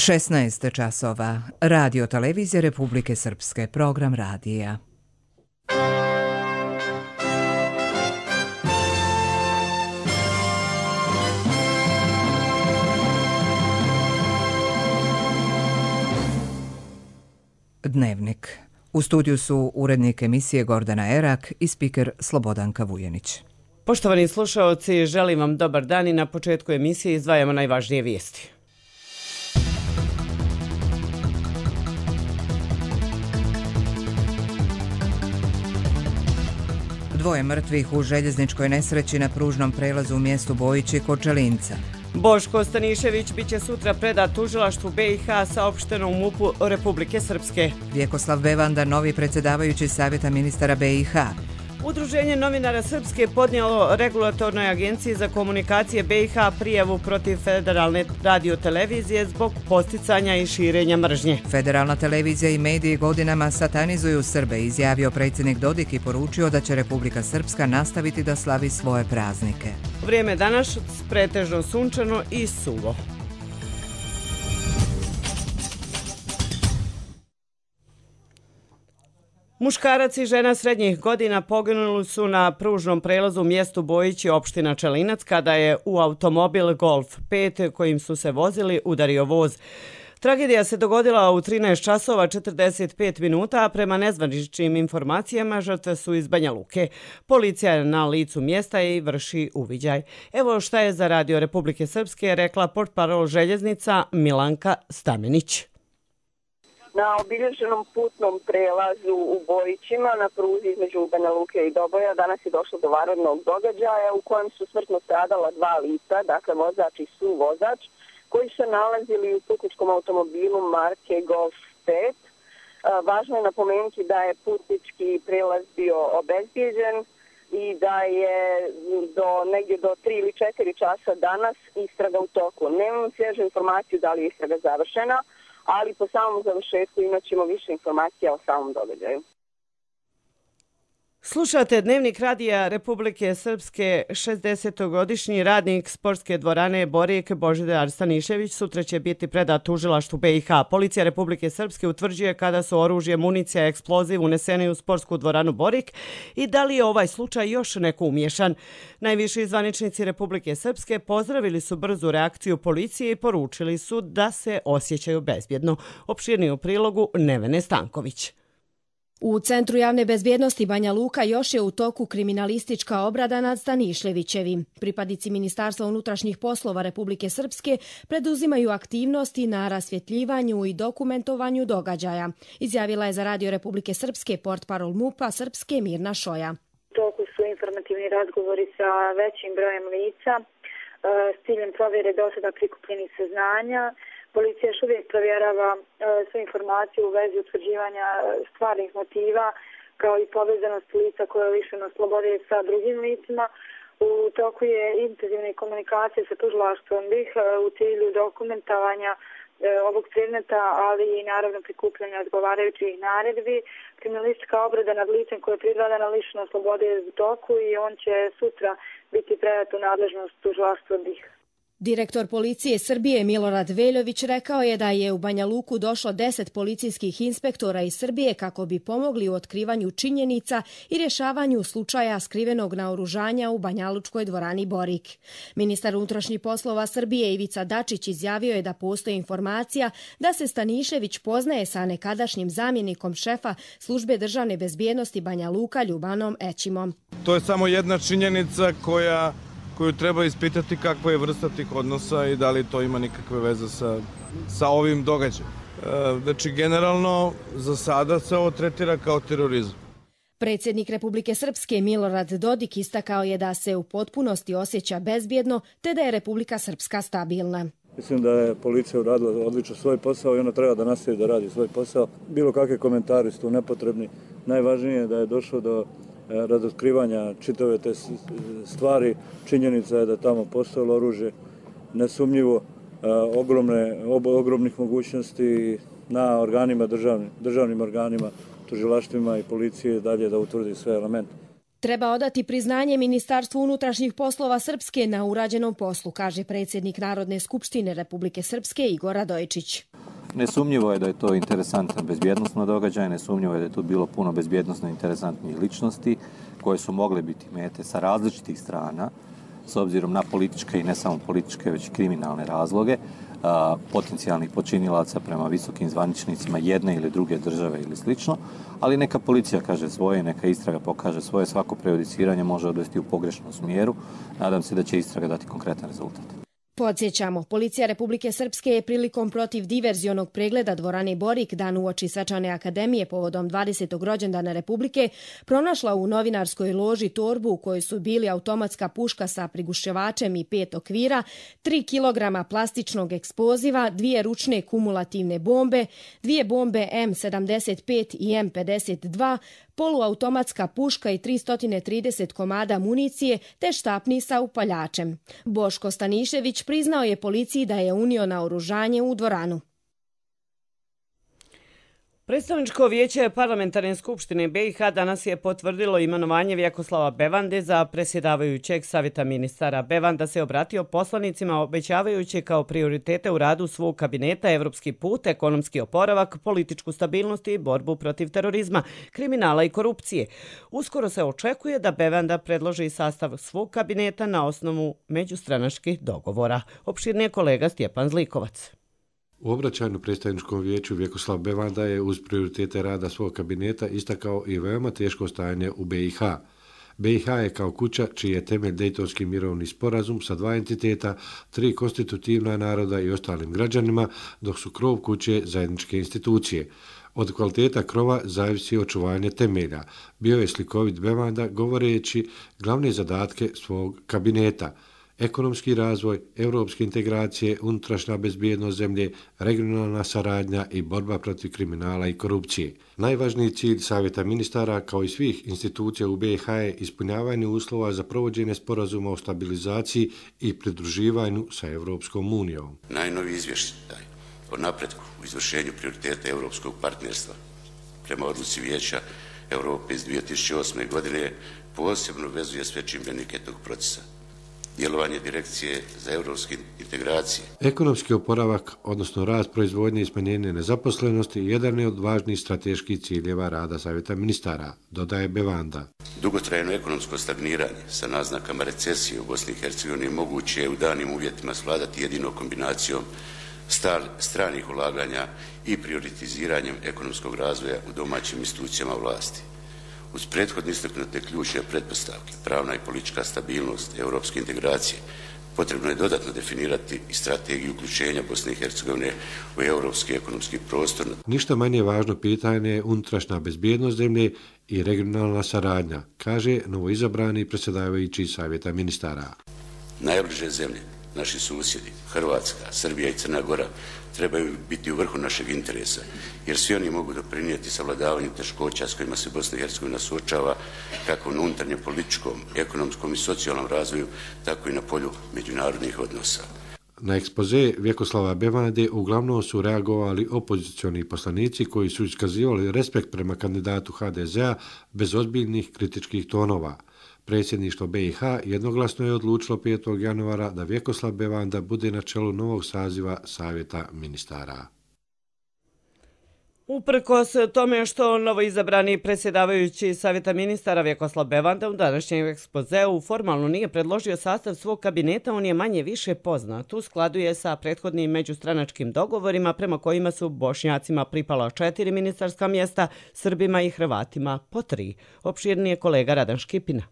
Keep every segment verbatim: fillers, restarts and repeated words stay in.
šesnaest časova. Radio televizija Republike Srpske. Program radija. Dnevnik. U studiju su urednik emisije Gordana Erak i spiker Slobodanka Vujenić. Poštovani slušaoci, želim vam dobar dan i na početku emisije izdvajamo najvažnije vijesti. Dvoje mrtvih u željezničkoj nesreći na pružnom prelazu u mjestu Bojići kod Čelinca. Boško Stanišević biće sutra predat tužilaštvu B i H saopšteno u MUP-u Republike Srpske. Vjekoslav Bevanda, novi predsjedavajući Savjeta ministara B i H. Udruženje novinara Srpske podnijelo Regulatornoj agenciji za komunikacije B i H prijavu protiv Federalne radiotelevizije zbog posticanja i širenja mržnje. Federalna televizija i mediji godinama satanizuju Srbe, izjavio predsjednik Dodik i poručio da će Republika Srpska nastaviti da slavi svoje praznike. Vrijeme danas pretežno sunčano i suvo. Muškarac i žena srednjih godina poginuli su na pružnom prelazu u mjestu Bojići, opština Čelinac, kada je u automobil Golf pet kojim su se vozili udario voz. Tragedija se dogodila u trinaest časova četrdeset pet minuta, a prema nezvaničnim informacijama žrtve su iz Banja Luke. Policija je na licu mjesta i vrši uviđaj. Evo šta je za Radio Republike Srpske rekla portparol željeznica Milanka Stamenić. Na obilježenom putnom prelazu u Bojićima na pruzi između Banja Luke i Doboja danas je došlo do vanrednog događaja u kojem su smrtno stradala dva lica, dakle vozač i suvozač, koji su se nalazili u putničkom automobilu marke Golf pet. Važno je napomenuti da je putnički prelaz bio obezbijeđen i da je do negdje do tri ili četiri časa danas istraga u toku. Nemam svježu informaciju da li je istraga završena, ali po samom završetku imat ćemo više informacija o samom događaju. Slušate Dnevnik radija Republike Srpske. šezdesetogodišnji radnik sportske dvorane Borik Božidar Stanišević sutra će biti predat tužilaštvu B i H. Policija Republike Srpske utvrđuje kada su oružje, municija, eksploziv uneseni u sportsku dvoranu Borik i da li je ovaj slučaj još neko umješan. Najviši zvaničnici Republike Srpske pozdravili su brzu reakciju policije i poručili su da se osjećaju bezbjedno. Opširniji u prilogu Nevene Stanković. U Centru javne bezbjednosti Banja Luka još je u toku kriminalistička obrada nad Staniševićevim. Pripadnici Ministarstva unutrašnjih poslova Republike Srpske preduzimaju aktivnosti na rasvjetljivanju i dokumentovanju događaja, izjavila je za Radio Republike Srpske portparol MUP-a Srpske Mirna Šoja. U toku su informativni razgovori sa većim brojem lica s ciljem provjere do sada prikupljenih saznanja. Policija još uvijek provjerava e, sve informacije u vezi utvrđivanja stvarnih motiva kao i povezanost lica koje je lišeno slobode sa drugim licima. U toku je intenzivne komunikacije sa tužilaštvom B i H u cilju dokumentovanja e, ovog predmeta, ali i naravno prikupljanja odgovarajućih naredbi. Kriminalistička obrada nad licem koje je pridodana lišeno slobode je u toku i on će sutra biti predat u nadležnost tužilaštva B i H. Direktor policije Srbije Milorad Veljović rekao je da je u Banja Luku došlo deset policijskih inspektora iz Srbije kako bi pomogli u otkrivanju činjenica i rješavanju slučaja skrivenog naoružanja u banjalučkoj dvorani Borik. Ministar unutrašnjih poslova Srbije Ivica Dačić izjavio je da postoji informacija da se Stanišević poznaje sa nekadašnjim zamjenikom šefa službe državne bezbjednosti Banja Luka Ljubanom Ećimom. To je samo jedna činjenica koja koju treba ispitati kakva je vrsta tih odnosa i da li to ima nikakve veze sa, sa ovim događajem. E, znači, generalno, za sada se ovo tretira kao terorizam. Predsjednik Republike Srpske Milorad Dodik istakao je da se u potpunosti osjeća bezbjedno, te da je Republika Srpska stabilna. Mislim da je policija uradila odlično svoj posao i ona treba da nastavi da radi svoj posao. Bilo kakve komentari su nepotrebni. Najvažnije je da je došlo do razotkrivanja čitave te stvari. Činjenica je da tamo postojalo oružje, nesumnjivo ogromne, ogromnih mogućnosti na organima, državnim, državnim organima, tužilaštvima i policije dalje da utvrdi sve elemente. Treba odati priznanje Ministarstvu unutrašnjih poslova Srpske na urađenom poslu, kaže predsjednik Narodne skupštine Republike Srpske Igor Radojičić. Nesumnjivo je da je to interesantan bezbjednosno događaj, nesumnjivo je da je tu bilo puno bezbjednosno interesantnih ličnosti koje su mogle biti mete sa različitih strana, s obzirom na političke i ne samo političke, već kriminalne razloge, a, potencijalnih počinilaca prema visokim zvaničnicima jedne ili druge države ili slično, ali neka policija kaže svoje, neka istraga pokaže svoje, svako prejudiciranje može odvesti u pogrešnom smjeru. Nadam se da će istraga dati konkretan rezultat. Podsjećamo, policija Republike Srpske je prilikom protiv diverzionog pregleda dvorane Borik dan uoči Svečane akademije povodom dvadesetog rođendana Republike pronašla u novinarskoj loži torbu u kojoj su bili automatska puška sa priguševačem i pet okvira, tri kilograma plastičnog eksploziva, dvije ručne kumulativne bombe, dvije bombe M sedamdeset pet i M pedeset dva, poluautomatska puška i tristo trideset komada municije te štapni sa upaljačem. Boško Stanišević priznao je policiji da je unio naoružanje u dvoranu. Predstavničko vijeće Parlamentarne skupštine B i H danas je potvrdilo imenovanje Vjekoslava Bevande za predsjedavajućeg Savjeta ministara. Bevanda se obratio poslanicima obećavajući kao prioritete u radu svog kabineta evropski put, ekonomski oporavak, političku stabilnost i borbu protiv terorizma, kriminala i korupcije. Uskoro se očekuje da Bevanda predloži sastav svog kabineta na osnovu međustranačkih dogovora. Opširnije kolega Stjepan Zlikovac. U obraćanju predstavničkom vijeću Vjekoslav Bevanda je uz prioritete rada svog kabineta istakao i veoma teško stajanje u B i H. B i H je kao kuća čiji je temelj Dejtonski mirovni sporazum sa dva entiteta, tri konstitutivna naroda i ostalim građanima, dok su krov kuće zajedničke institucije. Od kvaliteta krova zavisi očuvanje temelja. Bio je slikovit Bevanda govoreći glavne zadatke svog kabineta: ekonomski razvoj, europske integracije, unutrašnja bezbjednost zemlje, regionalna saradnja i borba protiv kriminala i korupcije. Najvažniji cilj Savjeta ministara, kao i svih institucija u B i H, je ispunjavanje uslova za provođenje sporazuma o stabilizaciji i pridruživanju sa Europskom unijom. Najnoviji izvještaj o napretku u izvršenju prioriteta europskog partnerstva prema odluci Vijeća Europe iz dvije tisuće osme. godine posebno vezuje sve čimbenike tog procesa. Djelovanje Direkcije za europske integracije. Ekonomski oporavak, odnosno rast proizvodnje i smanjenje nezaposlenosti, jedan je od važnijih strateških ciljeva rada Savjeta ministara, dodaje Bevanda. Dugotrajno ekonomsko stagniranje sa naznakama recesije u Bosni i Hercegovini moguće je u danim uvjetima svladati jedino kombinacijom stal, stranih ulaganja i prioritiziranjem ekonomskog razvoja u domaćim institucijama vlasti. Uz prethodno istaknute ključne pretpostavke, pravna i politička stabilnost, europske integracije, potrebno je dodatno definirati i strategiju uključenja Bosne i Hercegovine u europski ekonomski prostor. Ništa manje važno pitanje je unutrašnja bezbjednost zemlje i regionalna saradnja, kaže novoizabrani predsjedavajući Savjeta ministara. Najbliže zemlje, naši susjedi, Hrvatska, Srbija i Crna Gora, trebaju biti u vrhu našeg interesa, jer svi oni mogu doprinijeti savladavanju teškoća s kojima se Bosna i Hercegovina suočava, kako na unutarnjem političkom, ekonomskom i socijalnom razvoju, tako i na polju međunarodnih odnosa. Na ekspoze Vjekoslava Bevande uglavnom su reagovali opozicioni poslanici koji su iskazivali respekt prema kandidatu H D Z-a bez ozbiljnih kritičkih tonova. Predsjedništvo B i H jednoglasno je odlučilo petog januara da Vjekoslav Bevanda bude na čelu novog saziva Savjeta ministara. Uprkos tome što novoizabrani predsjedavajući Savjeta ministara Vjekoslav Bevanda u današnjem ekspozeu formalno nije predložio sastav svog kabineta, on je manje više poznat. U skladu je sa prethodnim međustranačkim dogovorima prema kojima su Bošnjacima pripala četiri ministarska mjesta, Srbima i Hrvatima po tri. Opširnije kolega Radan Škipina.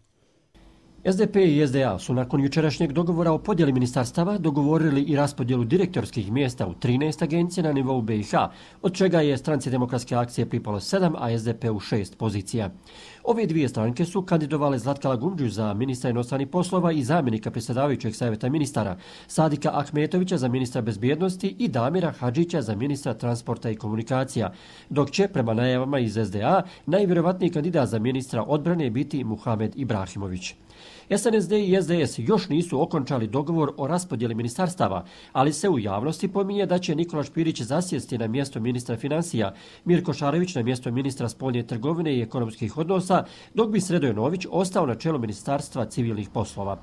S D P i S D A su nakon jučerašnjeg dogovora o podjeli ministarstava dogovorili i raspodjelu direktorskih mjesta u trinaest agencija na nivou B i H, od čega je Stranci demokratske akcije pripalo sedam, a S D P u šest pozicija. Ove dvije stranke su kandidovale Zlatka Lagumdžiju za ministra inostranih poslova i zamjenika predsjedavajućeg Savjeta ministara, Sadika Ahmetovića za ministra bezbjednosti i Damira Hadžića za ministra transporta i komunikacija, dok će, prema najavama iz S D A, najvjerovatniji kandidat za ministra odbrane biti Muhamed Ibrahimović. S N S D i S D S još nisu okončali dogovor o raspodjeli ministarstava, ali se u javnosti pominje da će Nikola Špirić zasjesti na mjesto ministra financija, Mirko Šarević na mjesto ministra spoljne trgovine i ekonomskih odnosa, dok bi Sredoje Nović ostao na čelu ministarstva civilnih poslova.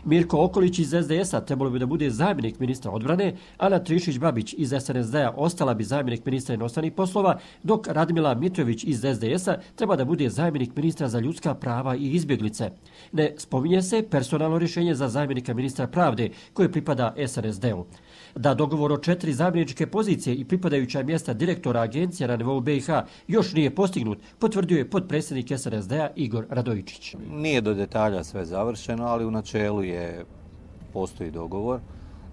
Mirko Okolić iz S D S-a trebalo bi da bude zamjenik ministra odbrane, Ana Trišić-Babić iz S N S D-a ostala bi zamjenik ministra inostranih poslova, dok Radmila Mitrović iz S D S-a treba da bude zamjenik ministra za ljudska prava i izbjeglice. Ne spominje se personalno rješenje za zamjenika ministra pravde koje pripada S N S D-u. Da dogovor o četiri zamjeničke pozicije i pripadajuća mjesta direktora agencija na nivou B i H još nije postignut, potvrdio je potpredsjednik S N S D-a Igor Radojičić. Nije do detalja sve završeno, ali u načelu je postoji dogovor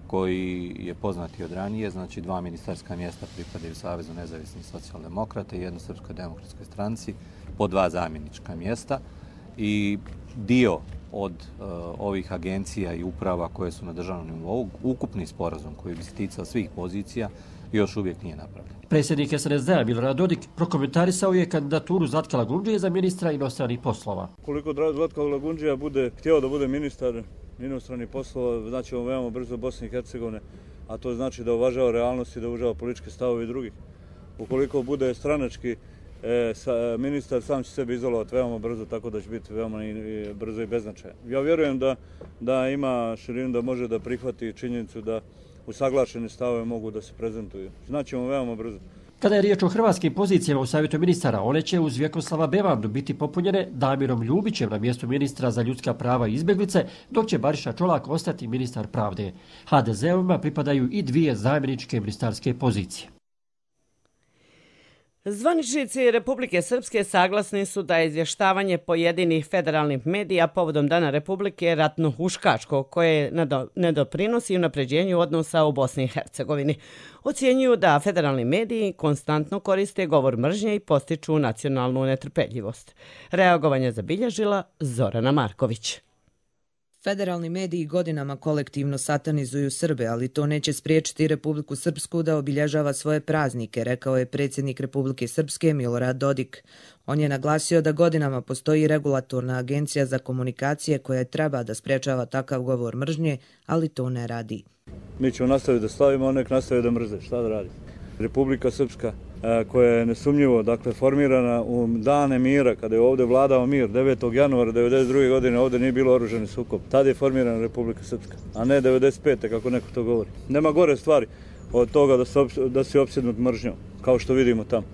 koji je poznati od ranije, znači dva ministarska mjesta pripadaju Savezu nezavisnih socijaldemokrata i jedno Srpskoj demokratskoj stranci, po dva zamjenička mjesta i dio od uh, ovih agencija i uprava koje su na državnom nivou, ukupni sporazum koji bi se ticao svih pozicija, još uvijek nije napravljen. Predsjednik S N S D-a Milorad Dodik prokomentarisao je kandidaturu Zlatka Lagundžije za ministra inostranih poslova. Koliko Zlatka Lagundžija bude htio da bude ministar inostranih poslova, znači on veoma brzo Bosne i Hercegovine, a to znači da uvažava realnost i da uvažava političke stavove drugih. Ukoliko bude stranački E, sa, ministar sam će sebe izolovati veoma brzo, tako da će biti veoma i, i brzo i beznačajan. Ja vjerujem da, da ima širinu, da može da prihvati činjenicu da usaglašene stavove mogu da se prezentuju. Znaćemo veoma brzo. Kada je riječ o hrvatskim pozicijama u savjetu ministara, one će uz Vjekoslava Bevandu biti popunjene Damirom Ljubićem na mjestu ministra za ljudska prava i izbjeglice, dok će Bariša Čolak ostati ministar pravde. H D Z-ovima pripadaju i dvije zamjeničke ministarske pozicije. Zvaničnici Republike Srpske saglasni su da je izvještavanje pojedinih federalnih medija povodom Dana Republike ratno-huškačko, koje ne doprinosi unapređenju odnosa u Bosni i Hercegovini. Ocjenjuju da federalni mediji konstantno koriste govor mržnje i postiču nacionalnu netrpeljivost. Reagovanje zabilježila Zorana Marković. Federalni mediji godinama kolektivno satanizuju Srbe, ali to neće spriječiti Republiku Srpsku da obilježava svoje praznike, rekao je predsjednik Republike Srpske Milorad Dodik. On je naglasio da godinama postoji regulatorna agencija za komunikacije koja treba da sprječava takav govor mržnje, ali to ne radi. Mi ćemo nastaviti da slavimo, a nek nastavi da mrze. Šta da radi? Republika Srpska, koja je nesumnjivo dakle, formirana u dane mira, kada je ovdje vladao mir, devetog januara devedeset druge godine ovdje nije bilo oružani sukob. Tada je formirana Republika Srpska, a ne devedeset pete kako neko to govori. Nema gore stvari od toga da, se, da si opsjednut mržnjom, kao što vidimo tamo.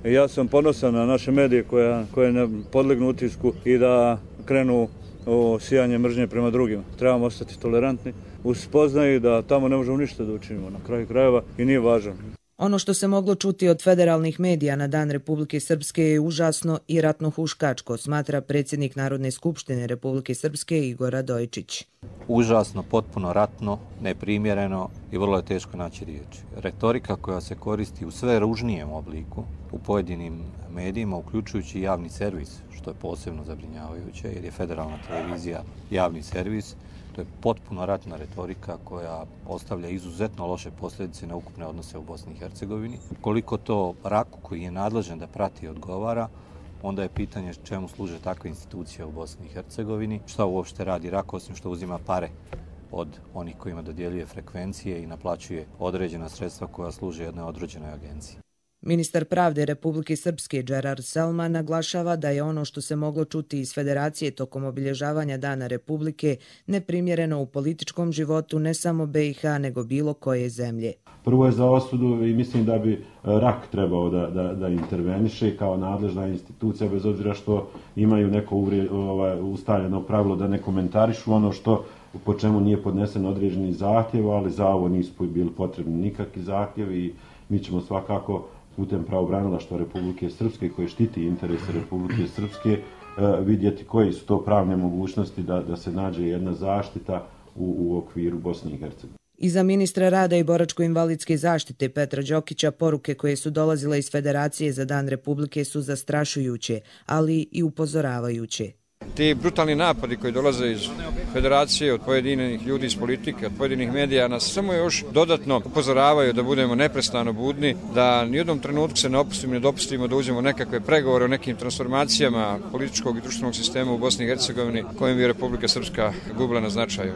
I ja sam ponosan na naše medije koje, koje ne podlegnu utisku i da krenu u sijanje mržnje prema drugima. Trebamo ostati tolerantni, uz spoznaju da tamo ne možemo ništa da učinimo na kraju krajeva i nije važno. Ono što se moglo čuti od federalnih medija na Dan Republike Srpske je užasno i ratno-huškačko, smatra predsjednik Narodne skupštine Republike Srpske Igor Radojičić. Užasno, potpuno ratno, neprimjereno i vrlo je teško naći riječi. Retorika koja se koristi u sve ružnijem obliku u pojedinim medijima, uključujući javni servis, što je posebno zabrinjavajuće jer je federalna televizija javni servis. To je potpuno ratna retorika koja ostavlja izuzetno loše posljedice na ukupne odnose u Bosni i Hercegovini. Koliko to Raku koji je nadležan da prati i odgovara, onda je pitanje čemu služe takve institucije u Bosni i Hercegovini, šta uopšte radi Rak osim što uzima pare od onih kojima dodjeljuje frekvencije i naplaćuje određena sredstva koja služe jednoj određenoj agenciji. Ministar pravde Republike Srpske Džerar Selman naglašava da je ono što se moglo čuti iz Federacije tokom obilježavanja Dana Republike neprimjereno u političkom životu ne samo B i H nego bilo koje zemlje. Prvo je za osudu i mislim da bi Rak trebao da, da, da interveniše kao nadležna institucija, bez obzira što imaju neko uvrije, ovaj, ustaljeno pravilo da ne komentarišu ono što po čemu nije podnesen određeni zahtjev, ali za ovo nisu bili potrebni nikakvi zahtjevi i mi ćemo svakako putem pravobranilaštva Republike Srpske koje štiti interese Republike Srpske vidjeti koje su to pravne mogućnosti da, da se nađe jedna zaštita u, u okviru Bosne i Hercegovine. I za ministra rada i boračko-invalidske zaštite Petra Đokića poruke koje su dolazile iz Federacije za Dan Republike su zastrašujuće, ali i upozoravajuće. ti brutalni napadi koji dolaze iz federacije, od pojedinih ljudi iz politike, od pojedinih medija, nas samo još dodatno upozoravaju da budemo neprestano budni, da nijednom trenutku se ne opustimo, ne dopustimo da uđemo nekakve pregovore o nekim transformacijama političkog i društvenog sistema u Bosni i Hercegovini kojim bi Republika Srpska gubila na značaju.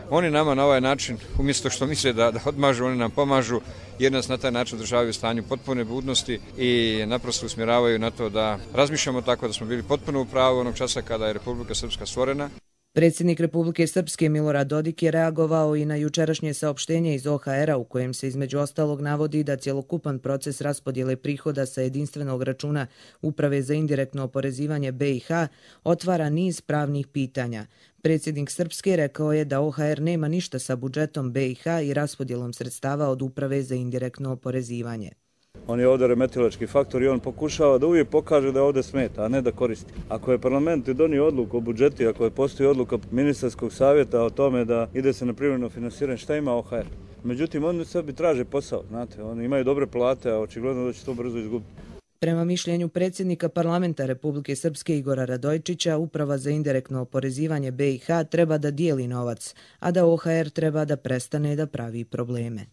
Oni nama na ovaj način, umjesto što misle da, da odmažu, oni nam pomažu, jer nas na taj način održavaju u stanju potpune budnosti i naprosto usmjeravaju na to da razmišljamo tako da smo bili potpuno u pravu onog časa kada je Republika Srpska stvorena. Predsjednik Republike Srpske Milorad Dodik je reagovao i na jučerašnje saopštenje iz O H R-a u kojem se između ostalog navodi da cjelokupan proces raspodjele prihoda sa jedinstvenog računa Uprave za indirektno oporezivanje B i H otvara niz pravnih pitanja. Predsjednik Srpske rekao je da O H R nema ništa sa budžetom B i H i raspodjelom sredstava od Uprave za indirektno oporezivanje. On je ovdje remetilački faktor i on pokušava da uvijek pokaže da ovdje smeta, a ne da koristi. Ako je parlament donio odluku o budžeti, ako je postoji odluka ministarskog savjeta o tome da ide se na privremeno finansiranje, šta ima O H R? Međutim, oni sebi traže posao, znate, oni imaju dobre plate, a očigledno da će to brzo izgubiti. Prema mišljenju predsjednika parlamenta Republike Srpske Igora Radojčića, Uprava za indirektno oporezivanje B i H treba da dijeli novac, a da O H R treba da prestane da pravi probleme.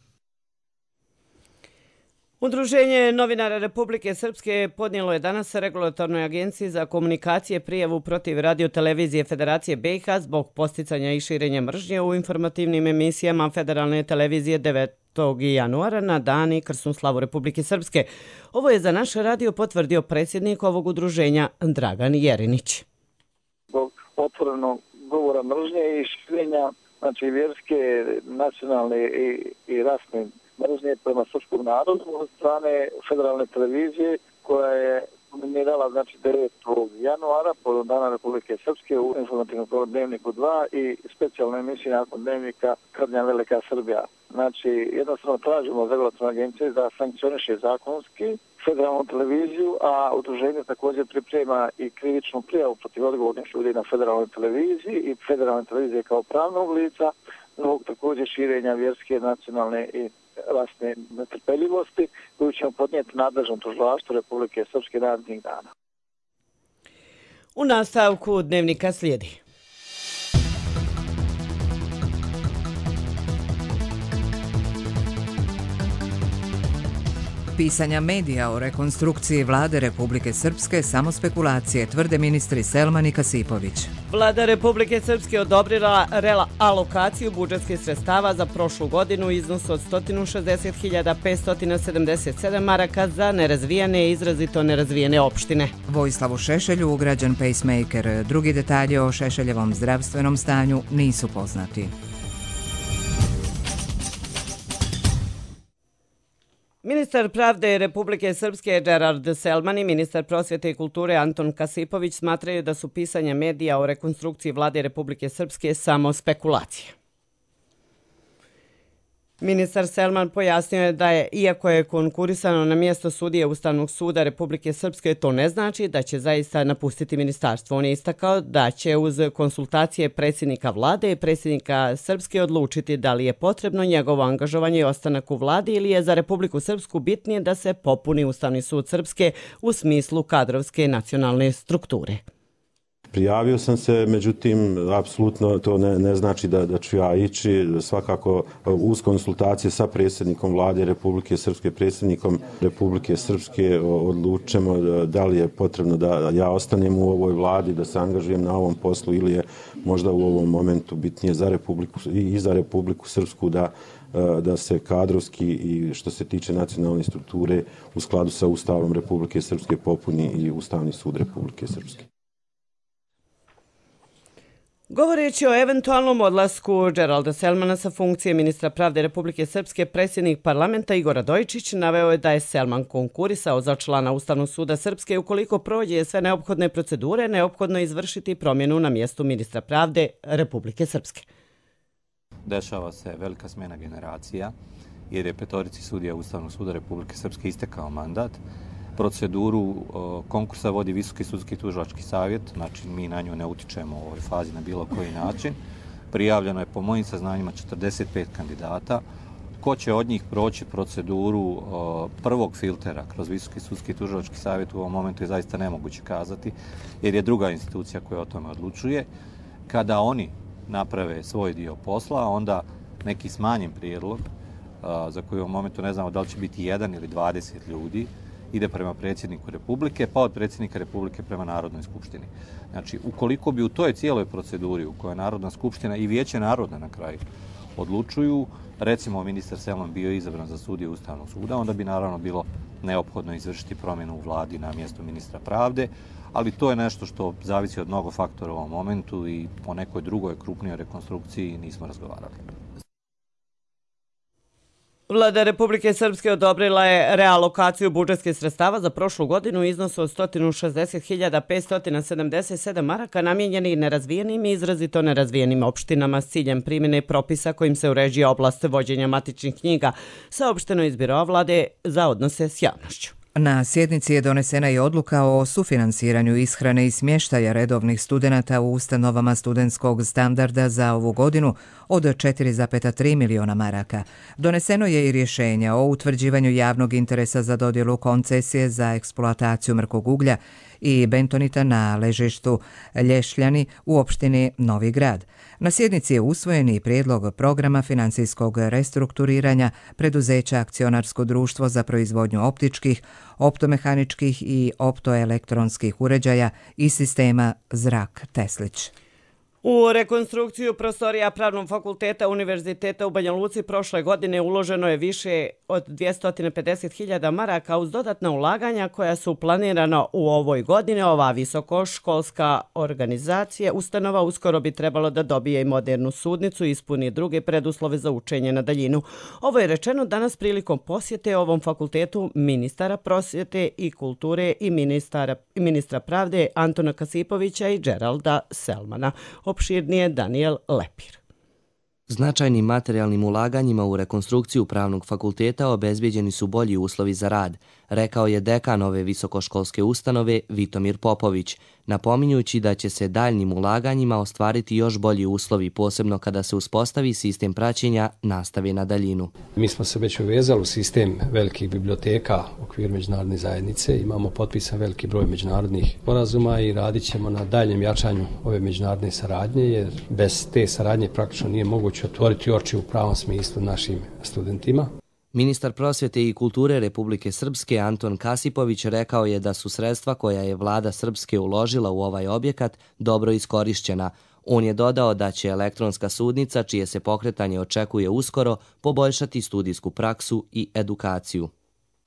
Udruženje novinara Republike Srpske podnijelo je danas Regulatornoj agenciji za komunikacije prijavu protiv radiotelevizije Federacije B i H zbog posticanja i širenja mržnje u informativnim emisijama Federalne televizije devetog januara na dan i krsnu slavu Republike Srpske. Ovo je za naš radio potvrdio predsjednik ovog udruženja Dragan Jerinić. Zbog otvorenog govora mržnje i širenja, znači vjerske, nacionalne i, i rasne mržnje prema srpskom narodu od strane Federalne televizije koja je nominirala znači devetog januara po dana Republike Srpske u informativnom dnevniku dva i specijalnoj emisiji nakon dnevnika Krnja Velika Srbija. Znači jednostavno tražimo od Regulatorne agencije da sankcioniše zakonski Federalnu televiziju, a udruženje također priprema i krivičnu prijavu protiv odgovornih ljudi na Federalnoj televiziji i Federalne televizije kao pravnog lica zbog također širenja vjerske, nacionalne i rasne netrpeljivosti koju ćemo podnijeti nadležnom tužilaštvu Republike Srpske narednih dana. U nastavku dnevnika slijedi. Pisanja medija o rekonstrukciji vlade Republike Srpske samo spekulacije, tvrde ministri Selman i Kasipović. Vlada Republike Srpske odobrila realokaciju budžetskih sredstava za prošlu godinu u iznosu od sto šezdeset hiljada petsto sedamdeset sedam maraka za nerazvijene i izrazito nerazvijene opštine. Vojislavu Šešelju ugrađen pacemaker. Drugi detalji o Šešeljevom zdravstvenom stanju nisu poznati. Ministar pravde Republike Srpske Gerard Selman i ministar prosvjete i kulture Anton Kasipović smatraju da su pisanja medija o rekonstrukciji vlade Republike Srpske samo spekulacije. Ministar Selman pojasnio je da je, iako je konkurisano na mjesto sudije Ustavnog suda Republike Srpske, to ne znači da će zaista napustiti ministarstvo. On je istakao da će uz konsultacije predsjednika vlade i predsjednika Srpske odlučiti da li je potrebno njegovo angažovanje i ostanak u vladi ili je za Republiku Srpsku bitnije da se popuni Ustavni sud Srpske u smislu kadrovske nacionalne strukture. Prijavio sam se, međutim, apsolutno to ne, ne znači da, da ću ja ići. Svakako uz konsultacije sa predsjednikom vlade Republike Srpske, predsjednikom Republike Srpske odlučimo da li je potrebno da ja ostanem u ovoj vladi, da se angažujem na ovom poslu ili je možda u ovom momentu bitnije za Republiku, i za Republiku Srpsku da da se kadrovski i što se tiče nacionalne strukture u skladu sa Ustavom Republike Srpske popuni i Ustavni sud Republike Srpske. Govoreći o eventualnom odlasku Geralda Selmana sa funkcije ministra pravde Republike Srpske, predsjednik parlamenta Igor Radojčić naveo je da je Selman konkurisao za člana Ustavnog suda Srpske. Ukoliko prođe sve neophodne procedure, neophodno je izvršiti promjenu na mjestu ministra pravde Republike Srpske. Dešava se velika smjena generacija jer je petorici sudija Ustavnog suda Republike Srpske istekao mandat. Proceduru konkursa vodi Visoki sudski tužilački savjet, znači mi na nju ne utičemo u ovoj fazi na bilo koji način. Prijavljeno je po mojim saznanjima četrdeset pet kandidata. Ko će od njih proći proceduru o, prvog filtera kroz Visoki sudski tužilački savjet u ovom momentu je zaista nemoguće kazati, jer je druga institucija koja o tome odlučuje. Kada oni naprave svoj dio posla, onda neki smanjen prijedlog, a, za koji u ovom momentu ne znamo da li će biti jedan ili dvadeset ljudi, ide prema predsjedniku Republike, pa od predsjednika Republike prema Narodnoj skupštini. Znači, ukoliko bi u toj cijeloj proceduri u kojoj Narodna skupština i Vijeće naroda na kraju odlučuju, recimo ministar Selman bio izabran za sudiju Ustavnog suda, onda bi naravno bilo neophodno izvršiti promjenu u vladi na mjesto ministra pravde, ali to je nešto što zavisi od mnogo faktora u ovom momentu i o nekoj drugoj krupnijoj rekonstrukciji nismo razgovarali. Vlada Republike Srpske odobrila je realokaciju budžetskih sredstava za prošlu godinu u iznosu od sto šezdeset hiljada petsto sedamdeset sedam maraka namijenjenih nerazvijenim i izrazito nerazvijenim opštinama s ciljem primjene propisa kojim se uređuje oblast vođenja matičnih knjiga, saopšteno iz Biroa vlade za odnose s javnošću. Na sjednici je donesena i odluka o sufinansiranju ishrane i smještaja redovnih studenata u ustanovama studentskog standarda za ovu godinu od četiri zarez tri miliona maraka. Doneseno je i rješenje o utvrđivanju javnog interesa za dodjelu koncesije za eksploataciju mrkog uglja i bentonita na ležištu Lješljani u opštini Novi Grad. Na sjednici je usvojen i prijedlog programa financijskog restrukturiranja preduzeća Akcionarsko društvo za proizvodnju optičkih, optomehaničkih i optoelektronskih uređaja i sistema Zrak Teslić. U rekonstrukciju prostorija Pravnog fakulteta Univerziteta u Banja Luci prošle godine uloženo je više od dvjesto pedeset hiljada maraka uz dodatna ulaganja koja su planirana u ovoj godini. Ova visokoškolska organizacija ustanova uskoro bi trebalo da dobije i modernu sudnicu i ispuni druge preduslove za učenje na daljinu. Ovo je rečeno danas prilikom posjete ovom fakultetu ministara prosvjete i kulture i ministara, ministra pravde Antona Kasipovića i Geralda Selmana. Opširnije Daniel Lepir. Značajnim materijalnim ulaganjima u rekonstrukciju Pravnog fakulteta obezbijeđeni su bolji uslovi za rad, rekao je dekan ove visokoškolske ustanove Vitomir Popović, napominjući da će se daljnim ulaganjima ostvariti još bolji uslovi, posebno kada se uspostavi sistem praćenja nastave na daljinu. Mi smo se već uvezali u sistem velikih biblioteka u okviru međunarodne zajednice, imamo potpisan veliki broj međunarodnih sporazuma i radit ćemo na daljem jačanju ove međunarodne saradnje, jer bez te saradnje praktično nije moguće otvoriti oči u pravom smislu našim studentima. Ministar prosvjete i kulture Republike Srpske Anton Kasipović rekao je da su sredstva koja je vlada Srpske uložila u ovaj objekat dobro iskorišćena. On je dodao da će elektronska sudnica, čije se pokretanje očekuje uskoro, poboljšati studijsku praksu i edukaciju.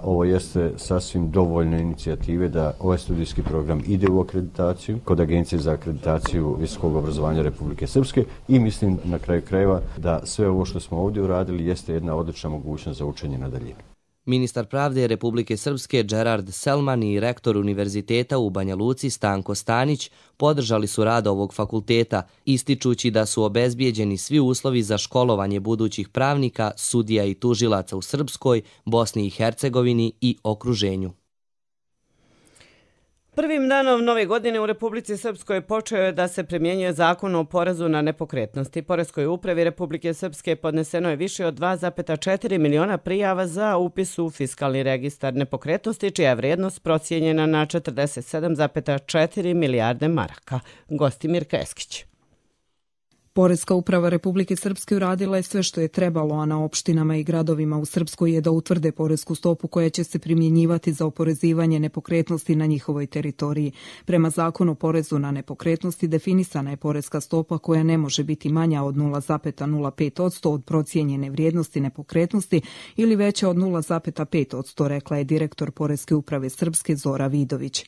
Ovo jeste sasvim dovoljne inicijative da ovaj studijski program ide u akreditaciju kod Agencije za akreditaciju visokog obrazovanja Republike Srpske i mislim na kraju krajeva da sve ovo što smo ovdje uradili jeste jedna odlična mogućnost za učenje na daljinu. Ministar pravde Republike Srpske Gerard Selman i rektor Univerziteta u Banja Luci Stanko Stanić podržali su rad ovog fakulteta, ističući da su obezbijeđeni svi uslovi za školovanje budućih pravnika, sudija i tužilaca u Srpskoj, Bosni i Hercegovini i okruženju. Prvim danom nove godine u Republici Srpskoj počeo je da se primjenjuje zakon o porezu na nepokretnosti. Poreskoj upravi Republike Srpske podneseno je više od dva zarez četiri miliona prijava za upis u fiskalni registar nepokretnosti, čija je vrijednost procijenjena na četrdeset sedam zarez četiri milijarde maraka. Gostimir Keskić. Poreska uprava Republike Srpske uradila je sve što je trebalo, a na opštinama i gradovima u Srpskoj je da utvrde poresku stopu koja će se primjenjivati za oporezivanje nepokretnosti na njihovoj teritoriji. Prema zakonu o porezu na nepokretnosti definisana je poreska stopa koja ne može biti manja od nula zarez nula pet posto od procijenjene vrijednosti nepokretnosti ili veća od nula zarez pet posto, rekla je direktor Poreske uprave Srpske Zora Vidović.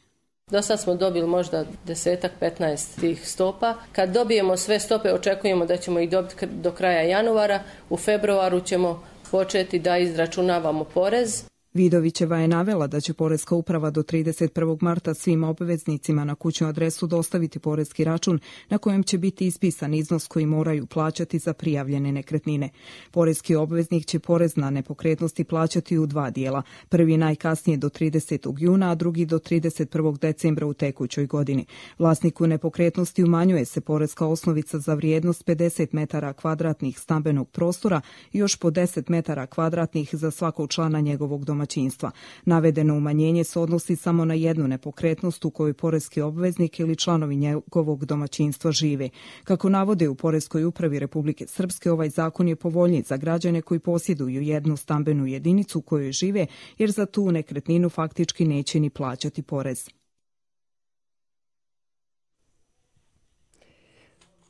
Do sad smo dobili možda desetak, petnaest tih stopa. Kad dobijemo sve stope, očekujemo da ćemo ih dobiti do kraja januara. U februaru ćemo početi da izračunavamo porez. Vidovićeva je navela da će Poreska uprava do trideset prvog marta svim obveznicima na kućnu adresu dostaviti poreski račun na kojem će biti ispisan iznos koji moraju plaćati za prijavljene nekretnine. Poreski obveznik će porez na nepokretnosti plaćati u dva dijela, prvi najkasnije do tridesetog juna, a drugi do trideset prvog decembra u tekućoj godini. Vlasniku nepokretnosti umanjuje se poreska osnovica za vrijednost pedeset metara kvadratnih stambenog prostora i još po deset metara kvadratnih za svakog člana njegovog domaćinstva. Navedeno umanjenje se odnosi samo na jednu nepokretnost u kojoj poreski obveznik ili članovi njegovog domaćinstva žive. Kako navode u Poreskoj upravi Republike Srpske, ovaj zakon je povoljniji za građane koji posjeduju jednu stambenu jedinicu u kojoj žive, jer za tu nekretninu faktički neće ni plaćati porez.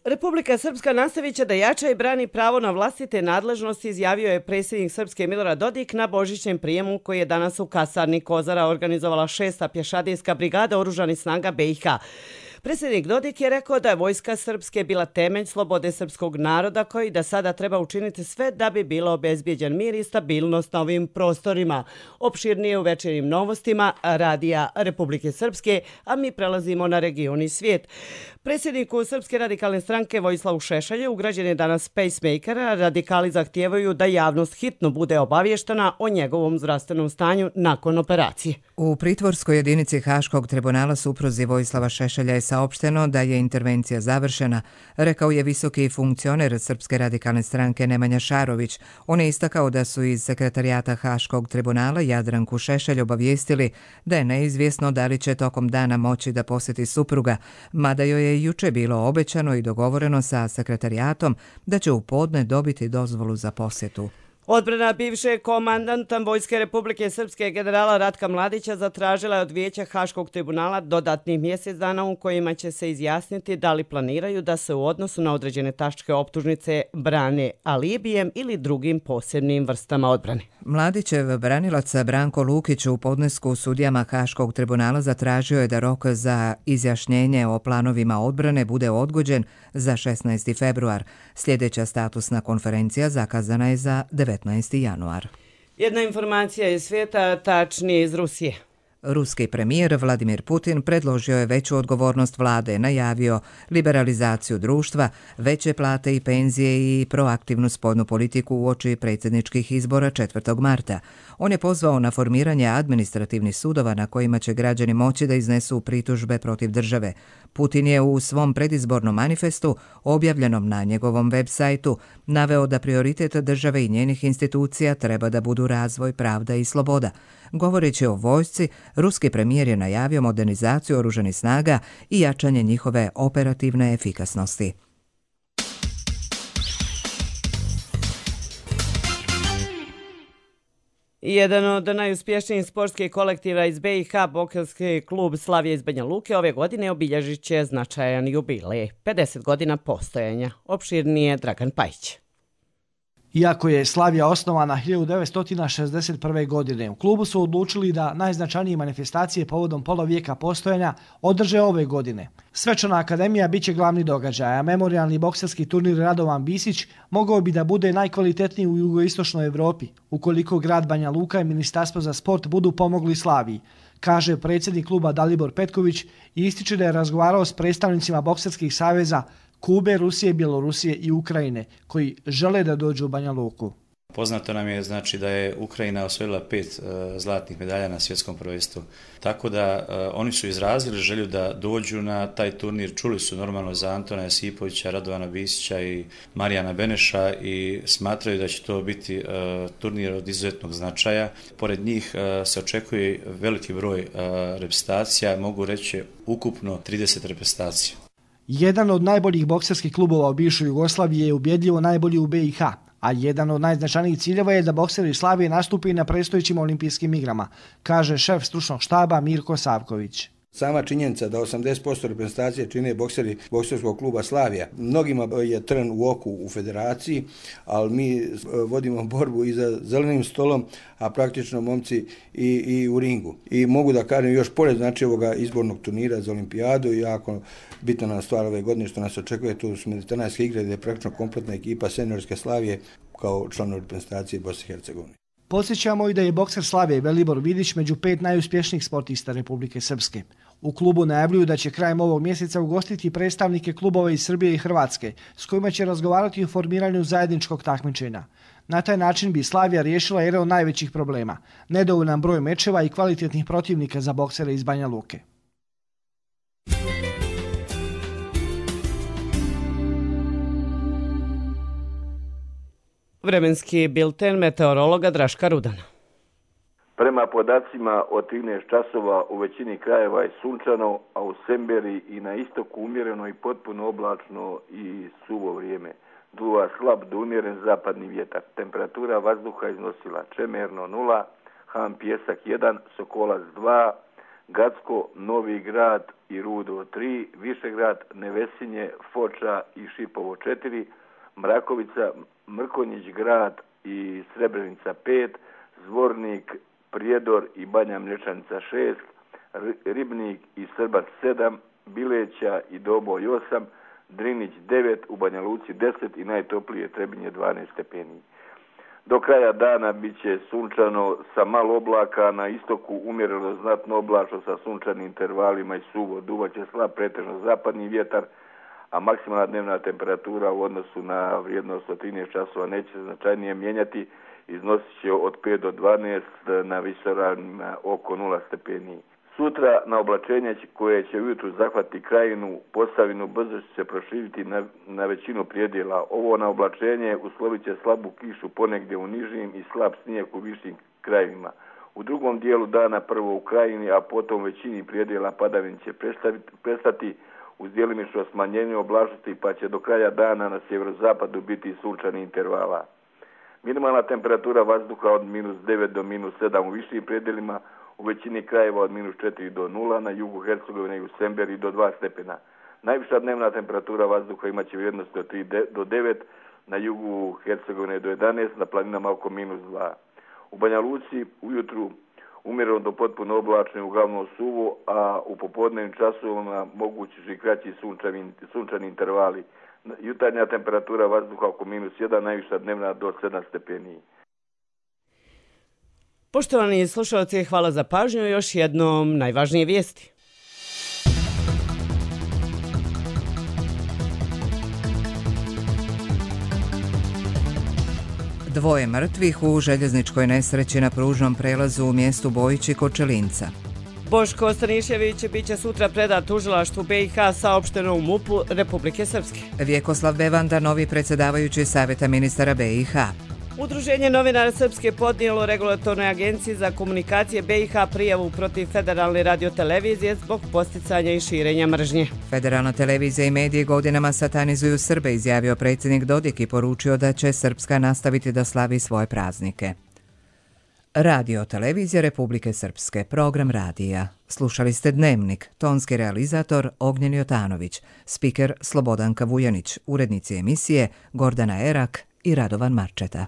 Republika Srpska nastavit će da jača i brani pravo na vlastite nadležnosti, izjavio je predsjednik Srpske Milorad Dodik na božićnem prijemu koji je danas u kasarni Kozara organizovala šesta pješadijska brigada oružanih snaga B i H. Predsjednik Dodik je rekao da je vojska Srpske bila temelj slobode srpskog naroda koji da sada treba učiniti sve da bi bilo obezbijeđen mir i stabilnost na ovim prostorima. Opširnije u večernjim novostima Radija Republike Srpske, a mi prelazimo na region i svijet. Predsjedniku Srpske radikalne stranke Vojislavu Šešelju ugrađen je danas pacemaker, a radikali zahtijevaju da javnost hitno bude obavještena o njegovom zdravstvenom stanju nakon operacije. U pritvorskoj jedinici Haškog tribunala supruzi Vojislava Šešelja je saopšteno da je intervencija završena, rekao je visoki funkcioner Srpske radikalne stranke Nemanja Šarović. On je istakao da su iz sekretarijata Haškog tribunala Jadranku Šešelj obavijestili da je neizvjesno da li će tokom dana moći da posjeti supruga, mada joj je juče bilo obećano i dogovoreno sa sekretarijatom da će u podne dobiti dozvolu za posjetu. Odbrana bivšeg komandanta Vojske Republike Srpske generala Ratka Mladića zatražila je od Vijeća Haškog tribunala dodatnih mjesec dana u kojima će se izjasniti da li planiraju da se u odnosu na određene tačke optužnice brane alibijem ili drugim posebnim vrstama odbrane. Mladićev branilac Branko Lukić u podnesku sudijama Haškog tribunala zatražio je da rok za izjašnjenje o planovima odbrane bude odgođen za šesnaesti februar. Sljedeća statusna konferencija zakazana je za devetnaesti januar. Jedna informacija iz svijeta, tačnije iz Rusije. Ruski premijer Vladimir Putin predložio je veću odgovornost vlade, najavio liberalizaciju društva, veće plate i penzije i proaktivnu spoljnu politiku uoči predsjedničkih izbora četvrtog marta. On je pozvao na formiranje administrativnih sudova na kojima će građani moći da iznesu pritužbe protiv države. Putin je u svom predizbornom manifestu, objavljenom na njegovom web sajtu, naveo da prioritet države i njenih institucija treba da budu razvoj, pravda i sloboda. Govoreći o vojsci, ruski premijer je najavio modernizaciju oružanih snaga i jačanje njihove operativne efikasnosti. Jedan od najuspješnijih sportskih kolektiva iz B i H, bokserski klub Slavija iz Banja Luke, ove godine obilježit će značajan jubilej, pedeset godina postojanja. Opširnije Dragan Pajić. Iako je Slavija osnovana hiljadu devetsto šezdeset prve. godine, u klubu su odlučili da najznačajnije manifestacije povodom polovijeka postojanja održe ove godine. Svečana akademija biće glavni događaj, a memorijalni bokserski turnir Radovan Bisić mogao bi da bude najkvalitetniji u jugoistočnoj Evropi, ukoliko grad Banja Luka i Ministarstvo za sport budu pomogli Slaviji, kaže predsjednik kluba Dalibor Petković i ističe da je razgovarao s predstavnicima bokserskih saveza Kube, Rusije, Bjelorusije i Ukrajine, koji žele da dođu u Banja Luku. Poznato nam je znači da je Ukrajina osvojila pet uh, zlatnih medalja na svjetskom prvenstvu. Tako da uh, oni su izrazili želju da dođu na taj turnir. Čuli su normalno za Antona Jasipovića, Radovana Bisića i Marijana Beneša i smatraju da će to biti uh, turnir od izuzetnog značaja. Pored njih uh, se očekuje veliki broj uh, reprezentacija, mogu reći ukupno trideset reprezentacija. Jedan od najboljih bokserskih klubova u bivšoj Jugoslaviji je ubjedljivo najbolji u B i H, a jedan od najznačajnijih ciljeva je da bokseri Slavije nastupi na predstojećim olimpijskim igrama, kaže šef stručnog štaba Mirko Savković. Sama činjenica da osamdeset posto reprezentacije čine bokseri bokserskog kluba Slavija. Mnogima je trn u oku u federaciji, ali mi vodimo borbu i za zelenim stolom, a praktično momci i, i u ringu. I mogu da kažem još pored znači ovoga izbornog turnira za olimpijadu, jako bitna nam stvar ove godine što nas očekuje, tu su mediteranske igre gdje je praktično kompletna ekipa seniorske Slavije kao članovi reprezentacije Bosne i Hercegovine. Podsjećamo i da je bokser Slavija Velibor Vidić među pet najuspješnijih sportista Republike Srpske. U klubu najavljuju da će krajem ovog mjeseca ugostiti predstavnike klubova iz Srbije i Hrvatske, s kojima će razgovarati o formiranju zajedničkog takmičenja. Na taj način bi Slavija riješila jedan od najvećih problema, nedovoljan broj mečeva i kvalitetnih protivnika za boksere iz Banja Luke. Vremenski bilten meteorologa Draška Rudana. Prema podacima od trinaest časova u većini krajeva je sunčano, a u Semberi i na istoku umjereno i potpuno oblačno i suvo vrijeme. Duva slab do umjeren zapadni vjetar. Temperatura vazduha iznosila Čemerno nula, Han Pjesak jedan, Sokolac dva, Gacko, Novi Grad i Rudo tri, Višegrad, Nevesinje, Foča i Šipovo četiri, Mrakovica, Mrkonjić grad i Srebrenica pet, Zvornik, Prijedor i Banja Mlječanica šest, Ribnik i Srbac sedam, Bileća i Doboj osam, Drinić devet, u Banja Luci deset i najtoplije Trebinje dvanaest stepeni. Do kraja dana bit će sunčano sa malo oblaka, na istoku umjereno znatno oblačno sa sunčanim intervalima i suvo. Duvaće slab pretežno zapadni vjetar, a maksimalna dnevna temperatura u odnosu na vrijednost od trinaest časova neće se značajnije mijenjati, iznosit će od pet do dvanaest, na visoravnima oko nula stepeni. Sutra na oblačenje koje će ujutru zahvati krajinu, Posavinu, brzo će se proširiti na, na većinu prijedjela. Ovo na oblačenje uslovit će slabu kišu ponegdje u nižim i slab snijeg u višim krajevima. U drugom dijelu dana prvo u krajini, a potom većini prijedjela padavin će prestati uz djelimično smanjenje oblačnosti, pa će do kraja dana na sjeverozapadu biti sunčani intervala. Minimalna temperatura vazduha od minus devet do minus sedam u višim predjelima, u većini krajeva od minus četiri do nula, na jugu Hercegovine i u Semberi do dva stepena. Najviša dnevna temperatura vazduha imaće vrijednost od tri do devet, na jugu Hercegovine do jedanaest, na planinama oko minus dva. U Banja Luci ujutru umjereno do potpuno oblačno i uglavnom suvo, a u popodnevnim časovima mogući su i kraći sunčani, sunčani intervali. Jutarnja temperatura vazduha oko minus jedan, najviša dnevna do sedam stepeni. Poštovani slušalci, hvala za pažnju. Još jednom najvažnije vijesti. Dvoje mrtvih u željezničkoj nesreći na pružnom prelazu u mjestu Bojići kod Čelinca. Boško Stanišević biće sutra predat tužilaštvu B i H, saopšteno u MUP-u Republike Srpske. Vjekoslav Bevanda, novi predsjedavajući Savjeta ministara B i H. Udruženje novinara Srpske podnijelo Regulatornoj agenciji za komunikacije B i H prijavu protiv Federalne radiotelevizije zbog posticanja i širenja mržnje. Federalna televizija i mediji godinama satanizuju Srbe, izjavio predsjednik Dodik i poručio da će Srpska nastaviti da slavi svoje praznike. Radio televizija Republike Srpske, program radija. Slušali ste Dnevnik, tonski realizator Ognjen Jotanović, spiker Slobodanka Vujanić, urednici emisije Gordana Erak i Radovan Marčeta.